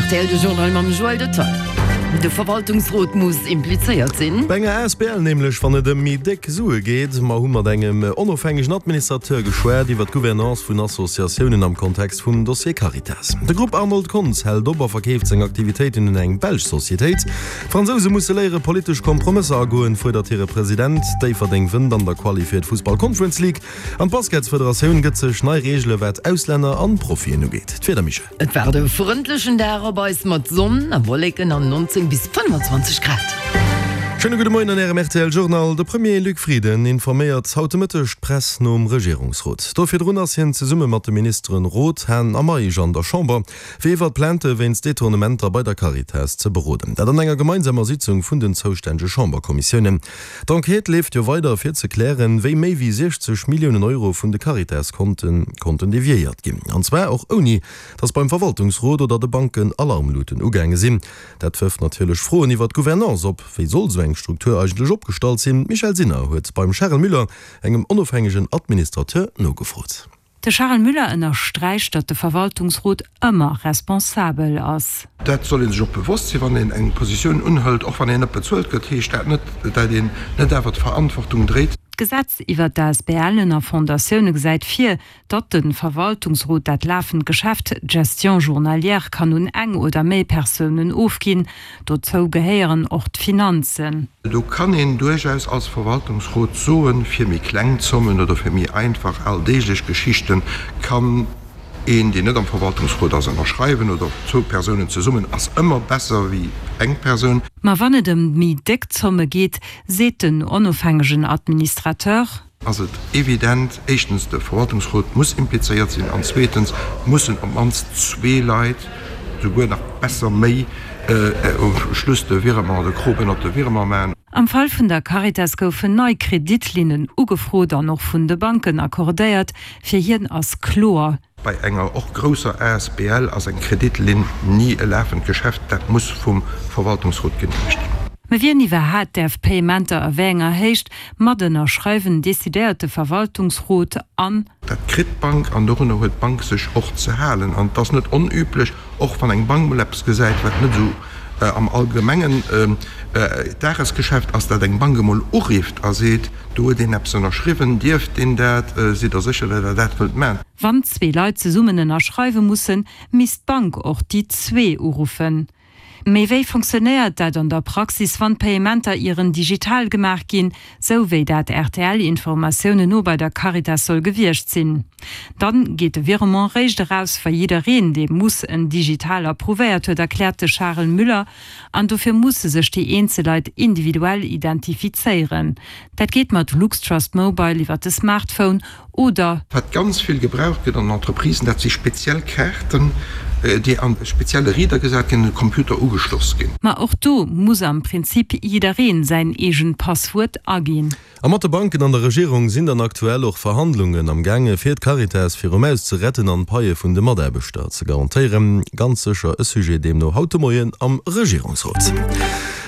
Rtl de Journal mam Joël Detail. De Verwaltungsrot muss implizéiert sinn. Bei enger asbl nämlech, wann et ëm méi déck Sue geet. Mer hu mat engem onofhängegen Administrateur geschwat iwwer d'Gouvernance vun Associatiounen am Kontext vum Dossier Caritas. De Grupp Arnold Kontz hält op a verkeeft seng Aktivitéiten un eng belsch Societéit. D'Fransouse musse léiere politesch Kompromësser agoen, fuerdert hire President. Déifferdeng wënnt an der Quali fir d'Fussball Conference League an d'Basketsfederatioun gëtt sech nei Reegele wat Auslänner an Profien ugeet. D'Wieder, Michèle? Et waart e frëndlechen Dag op eis mat Sonn a Wolleken an 19 bis 25 Grad. Schéine gudde Moien an Ärem rtl Journal. De Premier Luc Frieden informéiert haut de Mëtteg d'Press nom Regierungsrot. Do virdrun ass hien zesumme mat de Ministeren Roth, Hahn a Meisch an der Chamber, fir iwwert Plainte wéinst Detournementer bei der Caritas ze beroden. Dat an enger gemeinsamer Sitzung vun den zoustännege Chamberkommissiounen. D'Enquête leeft jo weider, fir ze klären, wéi méi wéi 60 Milliounen Euro vun de Caritas-Konte konnten deviéiert ginn. An zwar och ouni, datt beim Verwaltungsrot oder de Banken Alarmluten ugaange sinn. Dat wërft natierlech Froen iwwer d'Gouvernance op. Wéi soll esou eng Struktur eigentlech opgestallt sinn? D'Michèle Sinner huet beim Charel Müller, engem onofhängegen Administrateur, nogefrot. De Charel Müller ënnersträicht, datt de Verwaltungsrot ëmmer responsabel ass. Dat soll ee sech och bewosst sinn, wann een eng Positioun unhëlt. Och wann een net bezuelt gëtt, heescht dat net, dat een net awer d'Verantwortung dréit. D'Gesetz iwwert d'ASBLen a Fondatioune gesäit vir, datt de Verwaltungsrot dat lafend Geschäft, d'Gestion journalière, kann un eng oder méi Persounen ofginn. Dozou gehéieren och d'Finanzen. Do kann een duerchaus als Verwaltungsrot soen, fir méi kleng Zommen oder fir méi einfach alldeeglech Geschichten kann een, deen net am Verwaltungsrot ass, ënnerschreiwen oder zwou Persounen zesummen ass ëmmer besser wéi eng Persoun. Ma wann et ëm méi déck Zomme geet, seet den onofhängegen Administrateur, ass et evident, éischtens, de Verwaltungsrot muss implizéiert sinn an zweetens mussen op d'mannst zwee Leit, souguer nach besser méi, um Schluss de Virement, de Krop ënnert de Virement maachen. Am Fall vun der Caritas goufen nei Kreditlinnen ugefrot an och vun de Banken accordéiert. Fir hien ass kloer. Bei enger och grousser asbl ass eng Kreditlinn ni e lafend Geschäft, dat muss vum Verwaltungsrot geneemegt ginn. Mä wien iwwerhaat däerf Payementer a wéi enger Héicht mat ënnerschreiwen, decidéiert de Verwaltungsrot an. Dat kritt d'Bank an dorunner huet d'Bank sech och ze halen. An et ass net onüblech, och wann eng Bank mol eppes gesäit, wat net esou am allgemengen Dagesgeschäft ass, dat eng Bank emol urifft a seet, Do huet een eppes ënnerschriwwen, dierft deen dat, sidd Der sécher, datt Der dat wëllt man? Wann zwee Leit zesummen ënnerschreiwe mussen, misst d'Bank och déi zwee uruffen. Mee wéi fonctionnéiert dat an der Praxis, wann d'Payementer ieren digital gemaach ginn, sou wéi dat RTL-Informatiounen no bei der Caritas soll gewiescht sinn? Dann geet de Virement réischt eraus, wa jiddereen, dee muss, en digital approuvéiert huet, erkläert de Charel Müller. An dofir musse sech déi eenzel Leit individuell identifizéieren. Dat geet mat LuxTrust Mobile iwwer de Smartphone oder. Wat ganz vill gebraucht gëtt an den Entreprisen, dat si speziell Kaarten, déi an e spezielle Reader gesat ginn an un de Computer ugeschloss ginn. Ma och do muss am Prinzip jiddereen säin eegent Passwuert aginn. A mat de Banken an der Regierung sinn dann aktuell och Verhandlungen am gaange fir d'Caritas virum Aus ze retten an d'Paie vun de Mataarbechter ze garantéieren. Ganz sécher e Sujet deemno haut de Moien am Regierungsrot.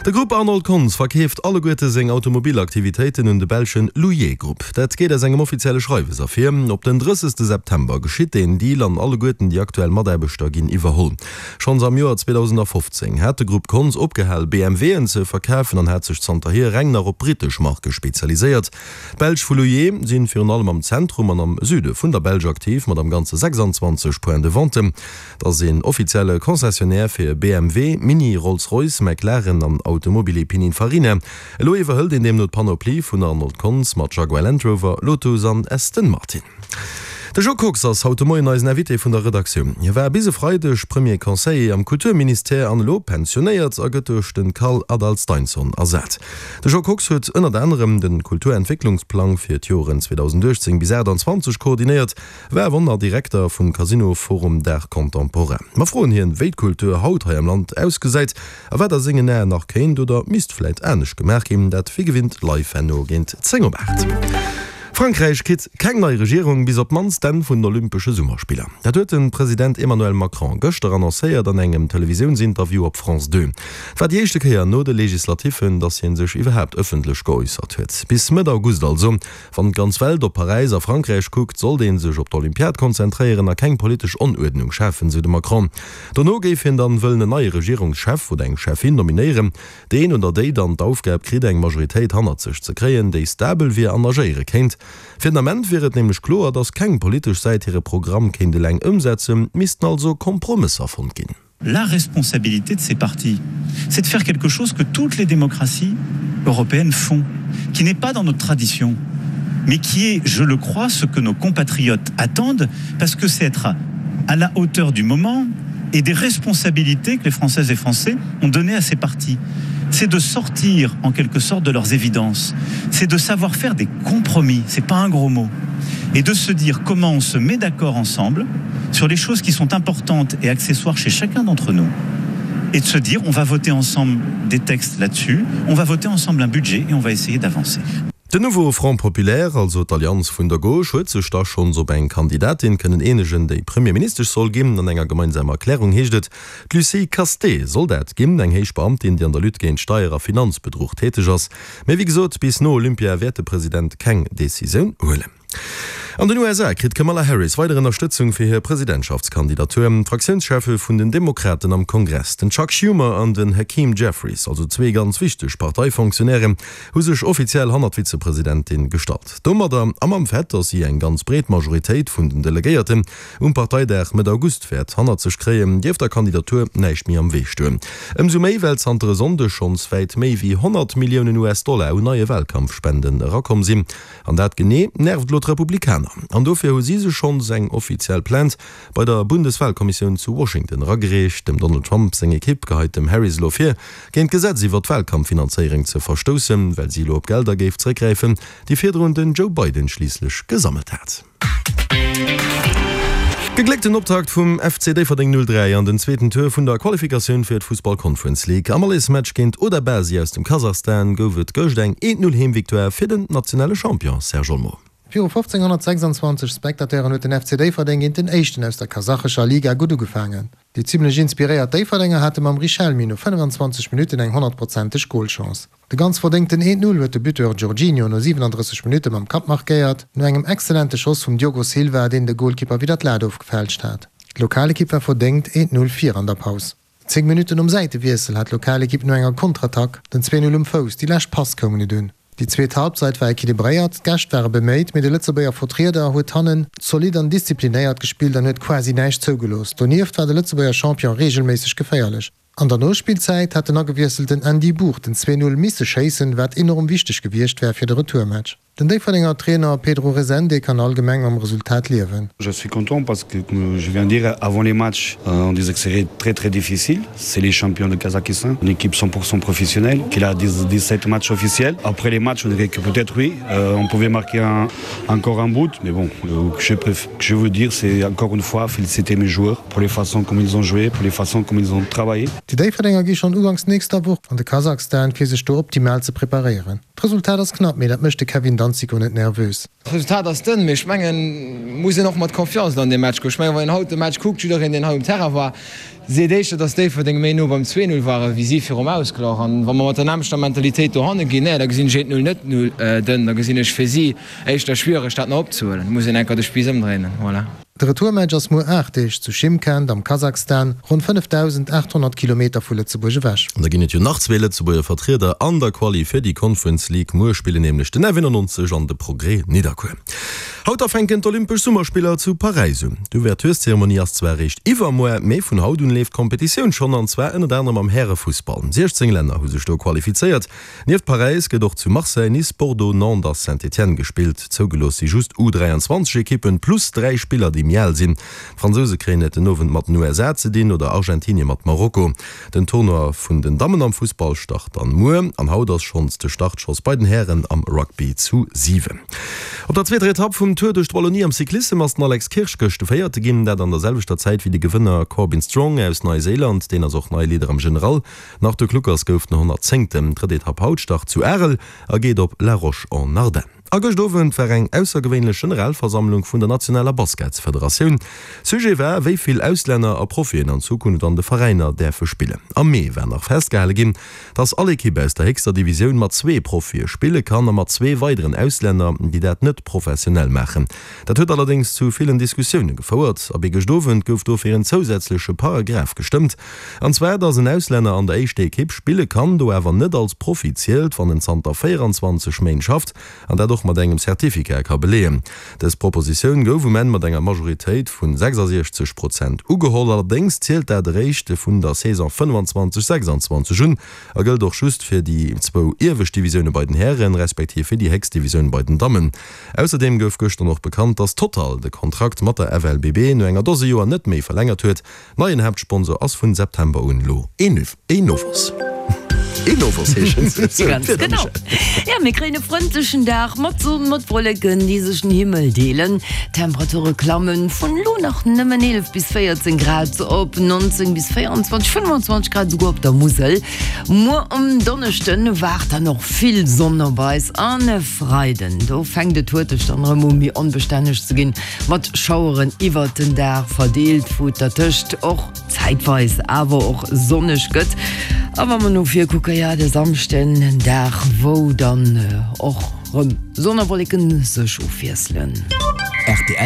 De Grupp Arnold Kontz verkeeft alleguerte seng Automobilaktivitéiten un de belschen Louillet Group. Dat geet aus engem offizielle Schreiwes ervir. Op den 30 September geschitt deen Deal an alleguerten déi aktuell Mataarbechter ginn iwwerholl. Schonns am Joer 2015 hat de Grupp Konz opgehal BMWen ze verkafen an hat sech zanterhier reng nach op brittesch Marke spezialiséiert. D'Belsch vu Louillet sinn virun allem am Zentrum an am Süde vun der Belsch aktiv, mat am Ganze 26 Points de vente. Et ass een offizielle Concessionnaire fir BMW, Mini, Rolls-Royce, McLaren an Automobili Pininfarina. Elo iwwerhëlt een deemno d'Panoplie vun Arnold Konz mat Jaguar Land Rover, Lotus an Aston Martin. De Jo Kox ass haut de Moien eisen Invité vun der Redaktioun. Hie war bis e Freideg Premier Conseiller am Kulturministère an elo pensionéiert a gëtt duerch de Karl Adalsteinsson ersat. De Jo Kox huet ënnert anerem de Kulturentwécklungsplang fir d'Joren 2018 bis 28 koordinéiert, war awer och Direkter vum Casino Forum d'Art Contemporain. Mer froen hien, wéi d'Kultur haut hei am Land ausgesäit a wat a sengen Aen nach kéint oder misst vläit anescht gemaach ginn. Dat wéi gewinnt live herno géint 10 op 8. Frankräich kritt keng nei Regierung bis op d'mannst d'Enn vun den Olympesche Summerspiller. Dat huet de President Emmanuel Macron gëschter annoncéiert an engem Televisiounsinterview op France 2. Et war déi éischte Kéier no de Legislatiffen, datt hie sech iwwerhaapt ëffentlech geäussert huet. Bis Mëtt August also, wann d'ganz Welt op Paräis a Frankräich kuckt, sollt ee sech op d'Olympiad konzentréieren a keng politesch Onuerdnung schafen, sou de Macron. Dono géif hien dann wëllen en neie Regierungschef oder eng Cheffin nominéieren, Deen oder déi dann d'Aufgab kritt, eng Majoritéit hannert sech ze kréien, déi stabel wier an agéiere kéint. Fir den Ament wier et nämlech kloer, datt keng politesch Säit hire Programm kéint eleng ëmsetzen, missten also Kompromësser fonnt ginn. La responsabilité de ces partis, c'est de faire quelque chose que toutes les démocraties européennes font, qui n'est pas dans notre tradition, mais qui est, je le crois, ce que nos compatriotes attendent, parce que c'est être à la hauteur du moment et des responsabilités que les Françaises et Français ont données à ces partis. C'est de sortir en quelque sorte de leurs évidences, c'est de savoir faire des compromis, c'est pas un gros mot, et de se dire comment on se met d'accord ensemble sur les choses qui sont importantes et accessoires chez chacun d'entre nous et de se dire on va voter ensemble des textes là-dessus, on va voter ensemble un budget et on va essayer d'avancer. Den Nouveau Front Populaire, also d'Allianz vun der Gauche, huet sech da schonns op eng Kandidatin kënnen eenegen, déi Premierministesch soll ginn. An enger gemeinsamer Erklärung heescht et, d'Lucie Casté soll dat ginn, eng héich Beamtin, déi an der Lutte géint Steier a Finanzbedruch täteg ass. Mee wéi gesot, bis no Olympia wäert de President keng Decisioun huelen. An den USA kritt d'Kamala Harris weider Ënnerstëtzung fir hir Presidentschaftskandidatur. D'Fraktiounscheffe vun den Demokraten am Kongress, den Chuck Schumer an den Hakeem Jeffries, also zwee ganz wichteg Parteifonctionnairen, hu sech offiziell hannert d'Vizepresidentin gestallt. Domadder a mam Fait, datt si eng ganz breet Majoritéit vun den Delegéierten um Parteidag Mëtt August wäert hannert sech kréien, dierft der Kandidatur näischt méi am Wee stoen. Ëmsou méi, well zanter e Sonndeg schonns wäit méi wéi 100 Milliounen US-Dollar un neie Walkampfspenden erakomm sinn. An dat genee nervt elo d'Republikaner. An dofir hu si sech schonns eng offiziell Plainte bei der Bundeswahlkommissioun zu Washington eragereecht. Dem Donald Trump seng Ekipp geheit dem Harris elo vir, géint d'Gesetz iwwer d'Wahlkampffinanzéiereng ze verstoussen, well si elo op Gelder géif zeréckgräifen, déi virdrun den Joe Biden schliisslech gesammelt hat. Gegléckten Optakt vum FC Déifferdeng 03 an den zweeten Tour vun der Qualifikatioun fir d'Fussball Conference League. Am Allesmatch géint Odabasi aus dem Kasachstan gouf et gëscht eng 1, 0 Heemvictoire fir den nationale Champion Serge Olmo. Viru 1526 Spectateuren huet den FC Déifferdeng géint den Éischten aus der kasachescher Liga gutt ugefaangen. Déi zimmlech inspiréiert Déifferdenger hate mam Richelmi no 25 Minutten eng honnertprozenteg Golchance. De ganz verdéngten 1, 0 huet de Buteur Jorginho no 37 Minutte mam Kapp markéiert, no engem exzellente Schoss vum Diogo Silva, deen de Golkipper widder d'Lat ofgefälscht hat. D'Lokalekipp war verdéngt 1, 0 vir an der Paus. 10 Minutten nom Säitewiessel hat d'Lokalekipp no enger Kontrattack den 2, 0 um Fouss, déi lescht Pass koum net un. Déi zweet Halbzeit war equilibréiert, d'Gäscht ware beméit, mee de Lëtzebuerger Vertrieder huet hannen zolidd an disziplinéiert gespillt an huet quasi näischt zougelooss. Donieft war de Lëtzebuerger Champion reegelméisseg geféierlech. An der Nospillzäit hat den agewiesselten Andy Bourg den 2, 0 misse schéissen, wat enorm wichteg gewiescht wär fir de Retourmatch. Den Déifferdenger Trainer Pedro Rezende kann allgemeng mam Resultat liewen. Je suis content parce que comme je viens de dire avant les matchs on disait que serait très très difficile c'est les champions de Kazakhstan une équipe 100% professionnelle qui a 17 matchs officiels après les matchs on dirait que peut-être oui euh, on pouvait marquer un, encore un bout mais bon euh, que je préfère, que je veux dire c'est encore une fois féliciter mes joueurs pour les façons comme ils ont joué pour les façons comme ils ont travaillé. Déi Déifferdenger gi schonn uganks nächster Woch an de Kasachstan fir sech do optimal ze preparéieren. D'Resultat ass knapp, mee dat mécht de Kevin Danzico net nervös. D'Resultat ass dënn, mee ech mengen, muss een och mat Confiance an dee Match goen. Ech mengen, wann een haut de Match kuckt, jiddereen, deen hei um Terrain war, seet éischter, datt Déifferdeng méi no beim 2, 0 ware wéi si virum Ausglach. An wa mer mat der nämmlechter Mentalitéit dohanne ginn, nee, da gesinn ech 1, 0 net dënn, da gesinn ech fir si éischter schwiereg, dat nach opzehuelen. Da muss een enker de Spiiss ëmdréinen. Voilà. De Retourmatch ass muer 8 Deeg zu Schymkent am Kasachstan, ronn 5.800 Kilometer vu Lëtzebuerg ewech. An da ginn et jo nach zwee Lëtzebuerger Vertrieder an der Quali fir déi Conference League. Muer spillen nämlech den F91 an de Progrès Nidderkuer. Haut da fänken d'Olympesch Summerspiller zu Paräis un. D'Ouvertureszeremonie ass zwar eréischt iwwermuer, mee vun haut un leeft d'Kompetitioun schonn, an zwar ënnert anerem am Härefussball. 16 Länner hu sech do qualifizéiert. Nieft Paräis gëtt och zu Marseille, Nice, Bordeaux, Nantes a Saint-Étienne gespillt. Zougelooss si just U23 Ekippen plus 3 Spiller déi méi al sinn. D'Fransouse kréien et den Owend mat den USA ze dinn oder Argentinie mat Marokko. Den Tournoi vun den Dammen am Fussball start dann muer an haut ass schonns de Startschoss bei den Hären am Rugby zu 7. Op der zweeter Etapp vum Tour duerch d'Wallonie am Cyclissem ass den Alex Kirsch gëscht de Véierte ginn. Dat an der selwechter Zäit wéi de Gewënner Corbin Strong aus Neiséiland. Deen ass och neie Leader am General. Nach de Kluckers gouf den 110. Drëtt Etapp haut start zu Arel a geet op La Roche-en-Ardenne. A gëscht Owend war eng aussergewéinlech Generalversammlung vun der nationaler Basketsfederatioun. Sujet war, wéi vill Auslänner a Profien an Zukunft an de Veräiner däerfe spillen. Am Mee war nach festgehale ginn, dass all Ekipp aus der héchster Divisioun mat zwee Profie spille kann a mat zwee weideren Auslänner, déi dat net professionell maachen. Dat huet allerdéngs zu villen Diskussioune gefouert. Abee gëscht Owend gouf dofir en zousätzleche Paragraph gestëmmt, an zwar, dass en Auslänner an der éischter Ekipp spille kann, do awer net als Profi zielt, wann en zanter 24 Méint schafft an dat och mat engem Certificat ka beleeën. Dës Propositioun gouf um Enn mat enger Majoritéit vu 66 Prozent ugeholl. Allerdéngs zielt dat eréischt vun der Saison 25, 26 un a gëllt och just fir déi zwou iewescht Divisioune bei den Hären, respektiv fir déi héchst Divisioun bei den Dammen. Ausserdeem gouf gëschter och bekannt, dass Total de Kontrakt mat der FLBB no enger Dose Joer net méi verlängert huet. Neien Haaptsponsor ass vun September un elo Enovos. Enovos heeschen se. Sou, Ganz d'Wieder, genau. Michèle. Ja, mir kréien e frëndlechen Dag mat Sonn, mat Wolleken, déi sech den Himmel deelen. D'Temperature klammen vun elo nach nëmmen 11 bis 14 Grad op 19 bis 24, 25 Grad esouguer op der Musel. Muer um Donneschden waart dann och vill Sonn op eis an e Freiden, do fänkt et huerteg dann erëm u méi onbestänneg ze ginn, mat Schaueren iwwert den Dag verdeelt, wou et dertëscht och zäitweis awer och sonneg gëtt. A wa mer no vir kucken, jo de Samschden, en Dag wou dann och rëm Sonn a Wolleken sech ofwiesselen. Rtl.